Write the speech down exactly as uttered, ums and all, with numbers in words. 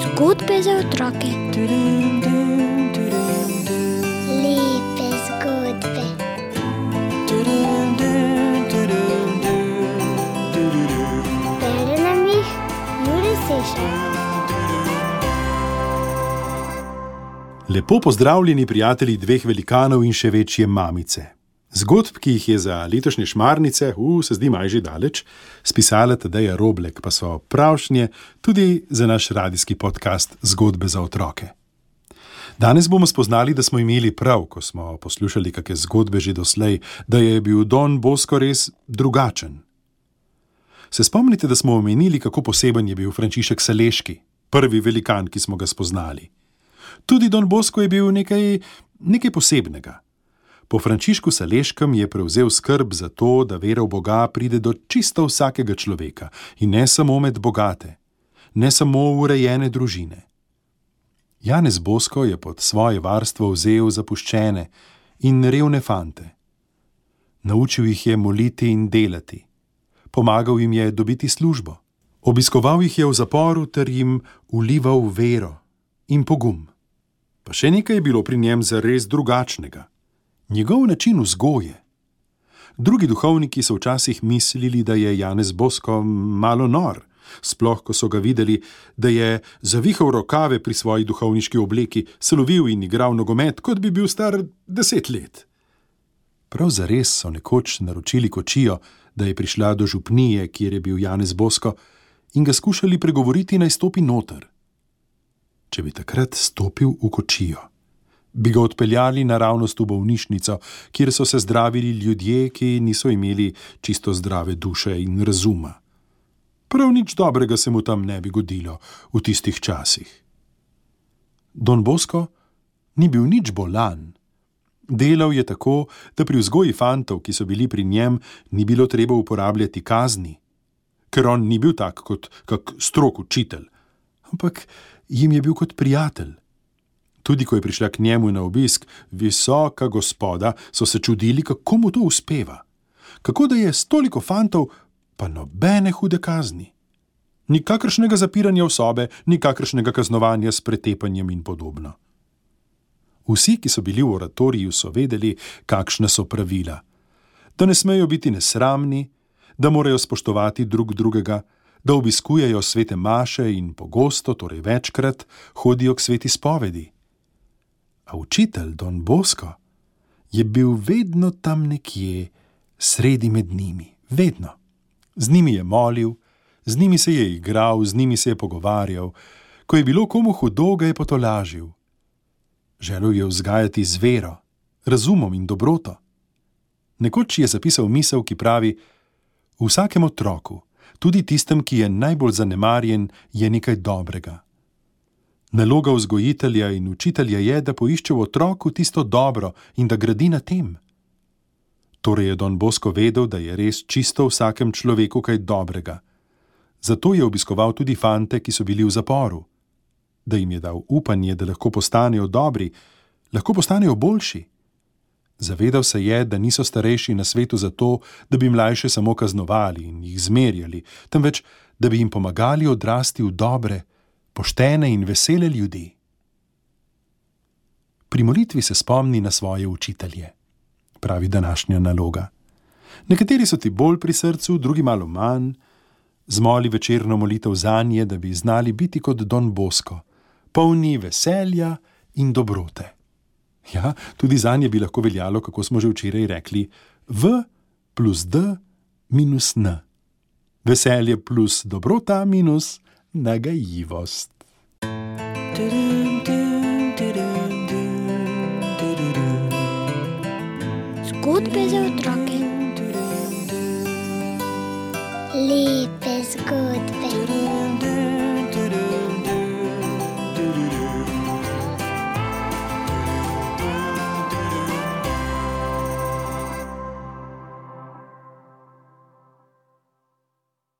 Zgodbe za otroke. Lepe zgodbe. Bere nam jih Jure Sešar. Lepo pozdravljeni prijatelji dveh velikanov in še večje mamice. Zgodb, ki jih je za letošnje šmarnice, uh, se zdi maj že daleč, spisala Tadeja Roblek, pa so pravšnje tudi za naš radijski podcast Zgodbe za otroke. Danes bomo spoznali, da smo imeli prav, ko smo poslušali kakšne zgodbe že doslej, da je bil Don Bosco res drugačen. Se spomnite, da smo omenili, kako poseben je bil Frančišek Saleški, prvi velikan, ki smo ga spoznali. Tudi Don Bosco je bil nekaj, nekaj posebnega. Po Frančišku Saleškem je prevzel skrb za to, da vera v Boga pride do čisto vsakega človeka in ne samo med bogate, ne samo v urejene družine. Janez Bosco je pod svoje varstvo vzel zapuščene in revne fante. Naučil jih je moliti in delati. Pomagal jim je dobiti službo. Obiskoval jih je v zaporu ter jim vlival vero in pogum. Pa še nekaj je bilo pri njem zares drugačnega. Njegov način vzgoje. Drugi duhovniki so včasih mislili, da je Janez Bosco malo nor, sploh ko so ga videli, da je zavihal rokave pri svoji duhovniški obleki, se lovil in igral nogomet, kot bi bil star deset let. Prav zares so nekoč naročili kočijo, da je prišla do župnije, kjer je bil Janez Bosco, in ga skušali pregovoriti, naj stopi noter. Če bi takrat stopil v kočijo, bi ga odpeljali naravnost v bolnišnico, kjer so se zdravili ljudje, ki niso imeli čisto zdrave duše in razuma. Prav nič dobrega se mu tam ne bi godilo v tistih časih. Don Bosco ni bil nič bolan. Delal je tako, da pri vzgoji fantov, ki so bili pri njem, ni bilo treba uporabljati kazni, ker on ni bil tak kot kak strog učitelj, ampak jim je bil kot prijatelj. Tudi ko je prišla k njemu na obisk visoka gospoda, so se čudili, kako mu to uspeva. Kako da je s toliko fantov, pa nobene hude kazni. Nikakršnega zapiranja v sobe, nikakršnega kaznovanja s pretepanjem in podobno. Vsi, ki so bili v oratoriju, so vedeli, kakšna so pravila. Da ne smejo biti nesramni, da morajo spoštovati drug drugega, da obiskujejo svete maše in pogosto, torej večkrat, hodijo k sveti spovedi. A učitelj Don Bosco je bil vedno tam nekje, sredi med njimi, vedno. Z njimi je molil, z njimi se je igral, z njimi se je pogovarjal. Ko je bilo komu hudo, ga je potolažil. Želel je vzgajati z vero, razumom in dobroto. Nekoč je zapisal misel, ki pravi: v vsakem otroku, tudi tistem, ki je najbolj zanemarjen, je nekaj dobrega. Naloga vzgojitelja in učitelja je, da poišče v otroku tisto dobro in da gradi na tem. Torej je Don Bosco vedel, da je res čisto v vsakem človeku kaj dobrega. Zato je obiskoval tudi fante, ki so bili v zaporu. Da jim je dal upanje, da lahko postanejo dobri, lahko postanejo boljši. Zavedal se je, da niso starejši na svetu zato, da bi mlajše samo kaznovali in jih zmerjali, temveč, da bi jim pomagali odrasti v dobre, poštene in vesele ljudi. Pri molitvi se spomni na svoje učitelje, pravi današnja naloga. Nekateri so ti bolj pri srcu, drugi malo manj. Zmoli večerno molitev zanje, da bi znali biti kot Don Bosco, polni veselja in dobrote. Ja, tudi zanje bi lahko veljalo, kako smo že včeraj rekli, V plus D minus N. Veselje plus dobrota minus nagajivost. Zgodbe za otroke.